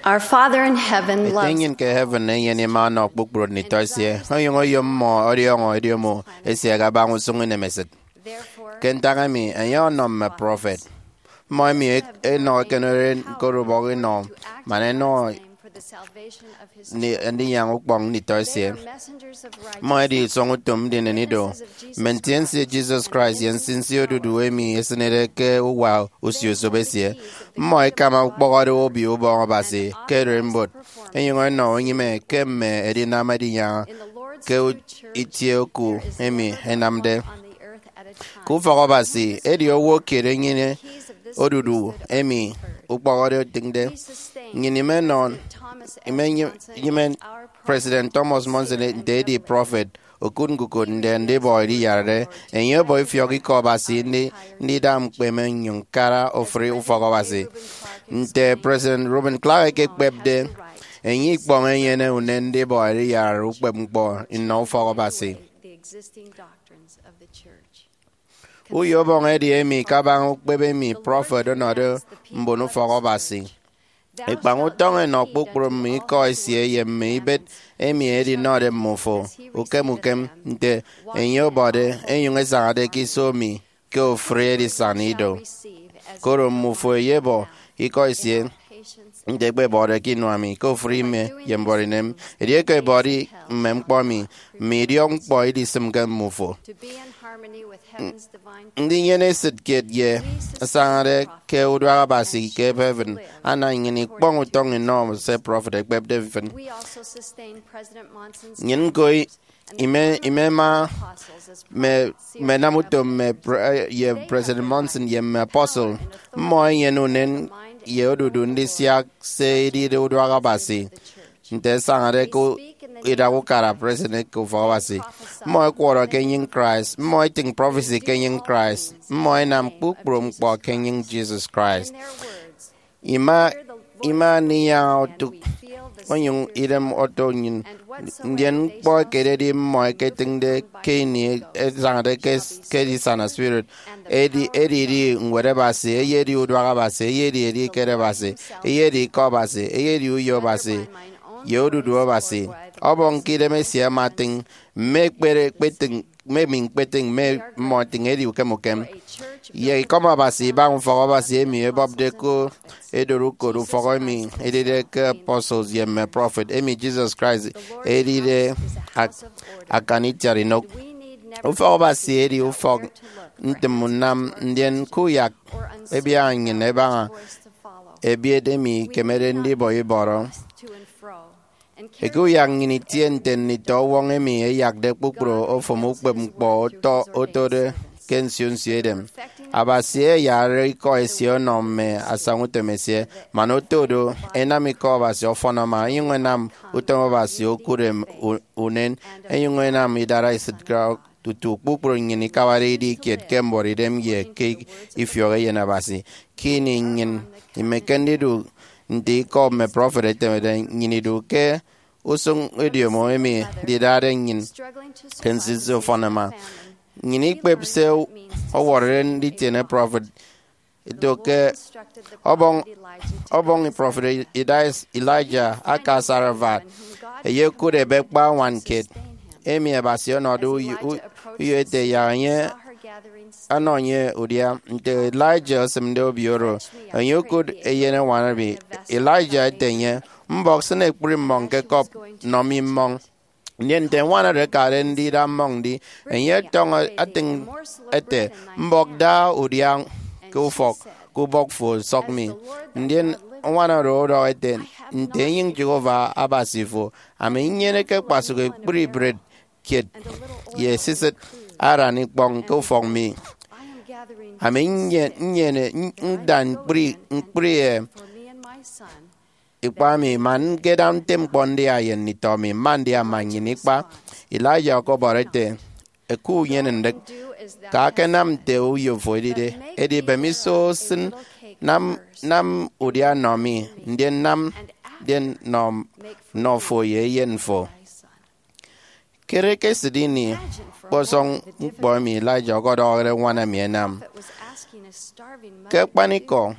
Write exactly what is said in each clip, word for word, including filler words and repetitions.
Our Father in heaven Ete loves nnyịn ke heaven enyene ima ọnọ kpukpru nditọ esie, onyụñ oyom mmọ ọdiọñọ ediomo esie kabaña usụñ inemesịt. Therefore, ke ntak emi, enye ọnọ mme prophet, mmọ emi e- enọ ekenere ñkọri ubọk inọ man enọ ni- ndinyaña ukpọñ nditọ esie. Mmọ edi isọñ utom ndinen ido, mme ntiense Jesus Christ ye nsinsi odudu emi esịnede ke uwa usio-usop esie. Mmọ ẹkama ukpọhọde Obio Ubọñ Abasi ke ererimbot, ẹnyụñ ẹnọ unyịme ke mme edinam edinyaña ke u- itie oku emi ẹnamde. Ke ufọk Abasi, edi owo kiet enyene odudu emi ukpọhọde etịñde. Nnyịn imenọ, imenyịme President Thomas Monson nte edi prophet, okụt ñkukụt nte ndibọ ediyarade. Enye ọbọ ifiọk Ikọ Abasi ndi- ndida ñkpeme nnyụñ ñkara ofụri ufọk Abasi. Nte President Reuben Clark ekekpepde, enye ikpọñ enyene unen ndibọ ediyarade ukpepñkpọ nnọ ufọk Abasi. The existing doctrines of the church. Uyo Ubọñ edi emi kabaña ukpep emi prophet ọnọde mbon ufọk Abasi. Ikpañ utọñ enọ kpukpru mme ikọ esie ye mme ibet emi edinọde mmufo. Ukem ukem, nte enye ọbọde, enyụñ esañade ke iso mi ke ofụri edisana ido. Koro mmufo eyebọ ikọ esie, nte ẹkpebọde ke inua mi, ke ofụri ime ye mbuọtidem. Edieke ẹbọde mme ñkpọ mi, mme idiọk ñkpọ idisịmke mmufo. To be in harmony with heaven's divine Ndinyene esịt kiet ye asañade ke uduak Abasi ke heaven, ana nnyịn ikpọñ utọñ inọ se prophet ekpepde mfịn. We also sustain President Monson's Nnyịn ñko i- ime- imema mme mme nam utom mme pre- ye President Monson ye mme apostle. Mmọ ẹnyene unen ye odudu ndisiak se edide uduak Abasi. Nte ẹsañade ke idak ukara president ke ufọk Abasi, mmọ ẹkwọrọ ke enyịñ Christ, mmọ ẹtịñ prophecy ke enyịñ Christ, mmọ ẹnam kpukpru ñkpọ ke enyịñ Jesus Christ. Ima ima ndinyaña otụk onyụñ idem oto nnyịn, ndien ñkpọ ekededi mmọ ẹketịñde ke ini ẹsañade ke ke edisana spirit, edi edidi ñwed Abasi, eyedi uduak Abasi, eyedi edieket Abasi, eyedi ikọ Abasi, eyedi uyo Abasi, ye odudu Abasi. Ọbọñ ke idem esie ama atịñ mme ekpere ekpetịñ mme emi ñkpetịñ mme mmọ ẹtịñ edi ukem ukem. Ye ikọm Abasi ibaña ufọk Abasi emi ebọpde ko edori ukot ufọk emi edide ke apostles ye mme prophet emi Jesus Christ edide ak- akan itiat inụk. Ufọk Abasi edi ufọk ntịm unam, ndien kuyak ẹbiaña nnyịn ẹbaña ebiet emi ikemede ndibọ ibọrọ. Ekuyak nnyịn itie nte nditọ ọwọñ emi ẹyakde kpukpru ofụm ukpepñkpọ ọtọ otode ke nsio nsio edem. Abasi eyarare ikọ esie ọnọ mme asañautom esie, man oto do, ẹnam ikọ Abasi ọfọn ama, ẹnyụñ ẹnam utom Abasi okụt em- u- unen, ẹnyụñ ẹnam idara esịt tutu kpukpru nnyịn ikabade idi kiet ke mbuọtidem ye ke ifiọk Eyen Abasi. Ke ini nnyịn imeke ndidu nte ikọ mme prophet ẹtemede, nnyịn idu ke usụñ ediomo emi ndidade nnyịn ke nsinsi ufọn ama. Nnyịn ikpep se ọwọrọde nditiene prophet, eto ke ọbọñ ọbọñ prophet Elijah aka Zarephath, eyekụt ebe kpa ñwan kiet emi Abasi ọnọde uyo- u- uyo ete yak enye anọ enye udia. Nte Elijah esịmde obio oro, enye okụt eyen añwan emi. Elijah ete enye, mbọk, sịn ekpri mmọñ ke cup nọ mi mmọñ. Ndien nte añwan oro akade ndida mmọñ ndi, enye ọtọñọ atịñ ete, mbọk, da udia ke ufọk, ke ubọk fo, sọk mi. Ndien añwan oro ọdọhọ ete, nte enyịñ Jehovah Abasi fo, ami nnyeneke kpasụk ekpri bread kiet ye esisịt aran ikpọñ ke ufọk mi. Ami nnye- nnyene nda ñkpri ñkpri e ikpa mi, man ñkeda nte ñkpọ ndia ye nditọ mi, mma ndia mma nnyịn ikpa. Elijah ọkọbọrọ ete, eku unyene ndịk, ka akanam nte uyo fo edide, edi bem iso sịn nam nam udia nọ mi, ndien nam ndien nọ nọ fo ye eyen fo. Kere ke esịt ini kpọsọñ ñkpọ emi Elijah ọkọdọhọde ñwan emi ẹnam. Ke akpanikọ,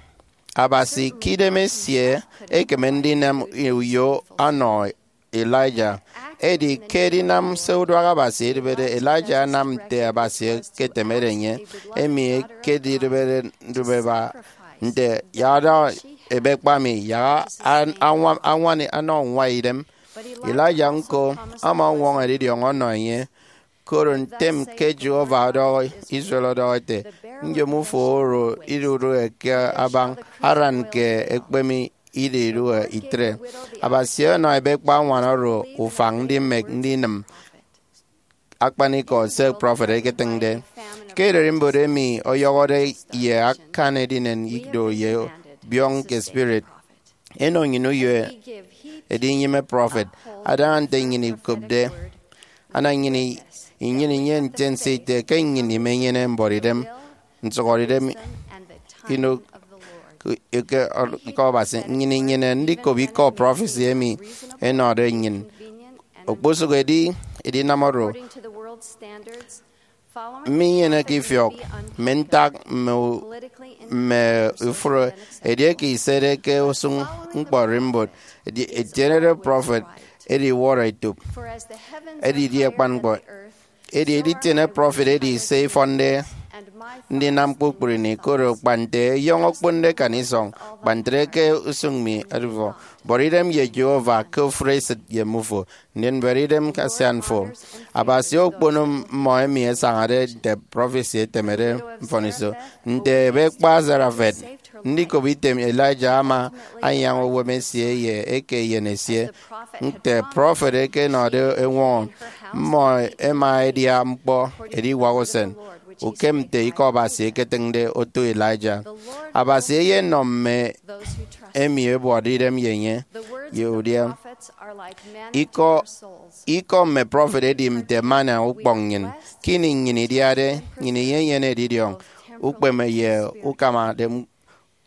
Abasi ke idem esie ekeme ndinam uyo ọnọ Elijah. Edi ke edinam se uduak Abasi edibede, Elijah anam nte Abasi eketemede enye, emi ekedidibede ndubeba nte, "Yak ada ebekpa mi, yak an-, anwa-, anwani anọ nwa idem." Elijah ñko ama ọñwọñọ edidiọñ ọnọ enye, koro ntem ke Jehovah ọdọhọ Israel ọdọhọ ete, "Nyom ufo oro idudụhe ke abañ aran ke ekpeme ididụhe itre." Abasi ọnọ ebekpa añwan oro ufañ ndimek ndinịm akpanikọ se prọfet eketịñde. Ke ererimbot emi ọyọhọde ye akan edinen ido ye biọñ ke spirit, enọ nnyịn uyo edinyịme prọfet, adaña nte nnyịn ikopde. Ana nnyịn i-, inyene inyene ntiense ite ke nnyịn imenyene mbuọtidem, nsụhọdeidem, inọ ke, ke, ke Abasi. Nnyịn inyene ndikop ikọ prọfesi emi ẹnọde nnyịn. Okposụk edi edinam oro, mminyeneke ifiọk mme ntak mme u-, mme ufụre, edieke isede ke usụñ ñkpọ ererimbot, edi-, etienede prọfet edi iwọrọ etop, edidi akpan ñkpọ. Edi editiene prọfet edi se ifọnde ndinam kpukpru ini, koro kpa nte eyọñ okponde akan isọñ, kpa ntre ke usụñ mi edifọ. Bọrọ idem ye Jehovah ke ofụri esịt ye mmufo, ndien bọrọ idem ke asian fo. Abasi okpono mmọ emi ẹsañade nte prọfesi etemede mfọniso. Nte ebekpa Zarephath, ndikop item Elijah ama anyaña uwem esie ye eke eyen esie. Nte prọfet eke ẹnọde ẹñwọñọ, mmọ ẹma ẹdia ñkpọ ediwak usen, ukem nte ikọ Abasi eketịñde oto Elijah. Abasi eyenọ mme emi ẹbuọtde idem ye enye ye udia. Ikọ, ikọ mme prọfet edi nte manna ukpọñ nnyịn. Ke ini nnyịn idiade, nnyịn iyenyene edidiọñ, ukpeme ye ukamade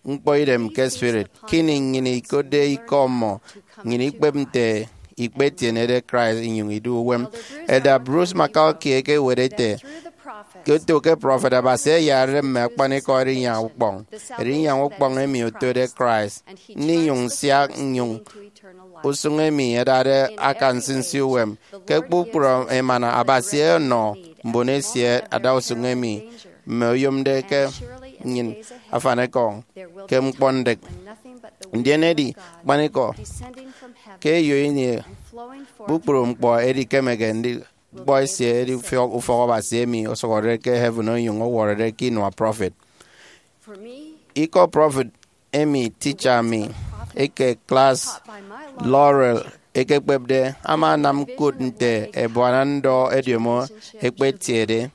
ñkpọ idem ke spirit. Ke ini nnyịn ikotde ikọ mmọ, nnyịn ikpep nte ikpetienede Christ inyụñ idu uwem. Elder Bruce McCulkey ekewet ete, ke oto ke prọfet, Abasi ayarade mme akpanikọ erinyaña ukpọñ. Erinyaña ukpọñ emi otode Christ ndinyụñ nsiak nnyụñ usụñ emi ẹdade akan nsinsi uwem. Ke kpukpru emana, Abasi ọnọ mbon esie adausụñ emi mme oyomde ke nnyịn afanekọñ ke ñkpọndịk. Ndien edi akpanikọ ke eyo ini kpukpru ñkpọ edikemeke ndi ñkpọ esie edi ufọk, ufọk Abasi emi osụhọde ke heaven onyụñ ọwọrọde ke inua prọfet. Ikọ prọfet emi teacher mi eke klas Laurel ekekpepde ama anam ñkụt nte ebuana ndọ ediomo ekpetiede.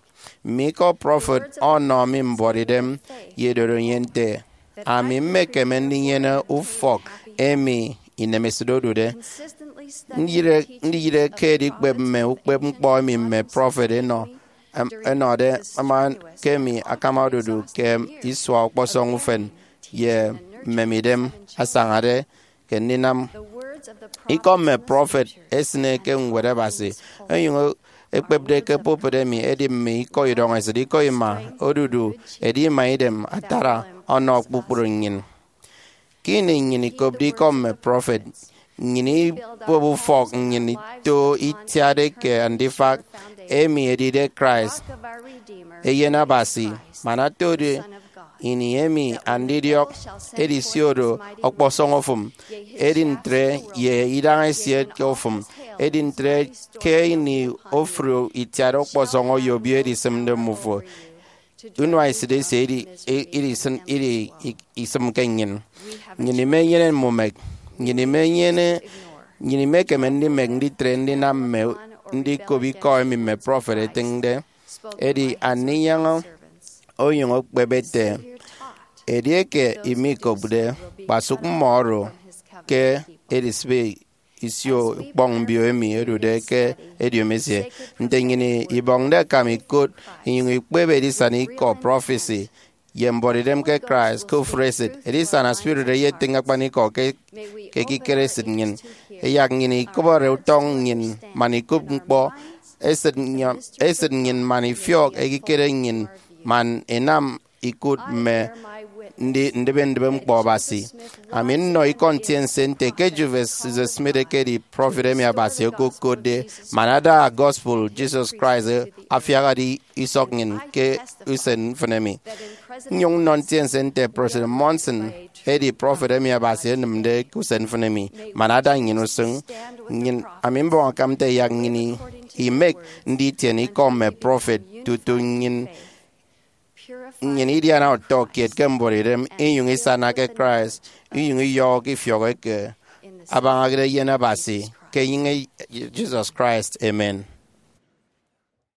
Mme ikọ prọfet ọnọ mi mbuọtidem ye edoro nnyịn nte, ami mmekeme ndinyene ufọk emi inemesịt odude. Ndiyịre, ndiyịre ke edikpep mme ukpepñkpọ emi mme prọfet ẹnọ, em, ẹnọde, ama ke emi akama odudu ke isua ọkpọsọñ ufen ye mmemidem asañade ke ndinam. Ikọ mme prọfet esịne ke Ñwed Abasi, onyụñ ekpepde ke pulpit emi, edi mme ikọ idọñesịt, ikọ ima, odudu, edi ima idem atara ọnọ kpukpru nnyịn. Ke ini nnyịn ikopde ikọ mme prọfet, nnyịn ikpep ufọk nnyịn ito itiat eke andifak, emi edide Christ, Eyen Abasi, man otode ini emi andidiọk edisio do ọkpọsọñ ofụm, edi ntre ye idañ esie ke ofụm, edi ntre ke ini ofụri itiat ọkpọsọñ oyobio edisịmde mmufo. Unua esịt esie idi, i-, idi isịn, idi i-, isịmke nnyịn. Nnyịn imenyene mmumek. Nnyịn imenyene, nnyịn imekeme ndimek nditre ndinam mme ndikop ikọ emi mme prọfet ẹtịñde. Edi andinyaña onyụñ okpep ete, edieke imikopde, kpasụk mmọ oro ke edisịbe isio ukpọñ mbio emi odude ke ediomi esie. Nte nnyịn ibọñde akam ikot inyụñ ikpep edisana ikọ prọfesi ye mbuọtidem ke Christ ke ofụri esịt, edisana spirit eyetịñ akpanikọ ke, ke ekikere esịt nnyịn. Ẹyak nnyịn ikọbọre utọñ nnyịn man ikop ñkpọ esịt nnyịn, esịt nnyịn man ifiọk ekikere nnyịn man inam ikụt mme ndi ndịbe ndịbe ñkpọ Abasi. Ami nnọ ikọ ntiense nte ke Joseph Smith ekedi prọfet emi Abasi okokotde, man ada gospel Jesus Christ afiakde isọk nnyịn ke usen mfịn emi. Nnyụñ nnọ ntiense nte President Monson edi prọfet emi Abasi enịmde ke usen mfịn emi, man ada nnyịn usụñ. Nnyịn, ami mbọñ akam nte yak nnyịn imek nditiene ikọ mme prọfet tutu nnyịn nnyịn idiana utọ kiet ke mbuọtidem, inyụñ isana ke Christ, inyụñ iyọhọ ke ifiọk eke abañade eyen Abasi ke enyịñ Jesus Christ. Amen.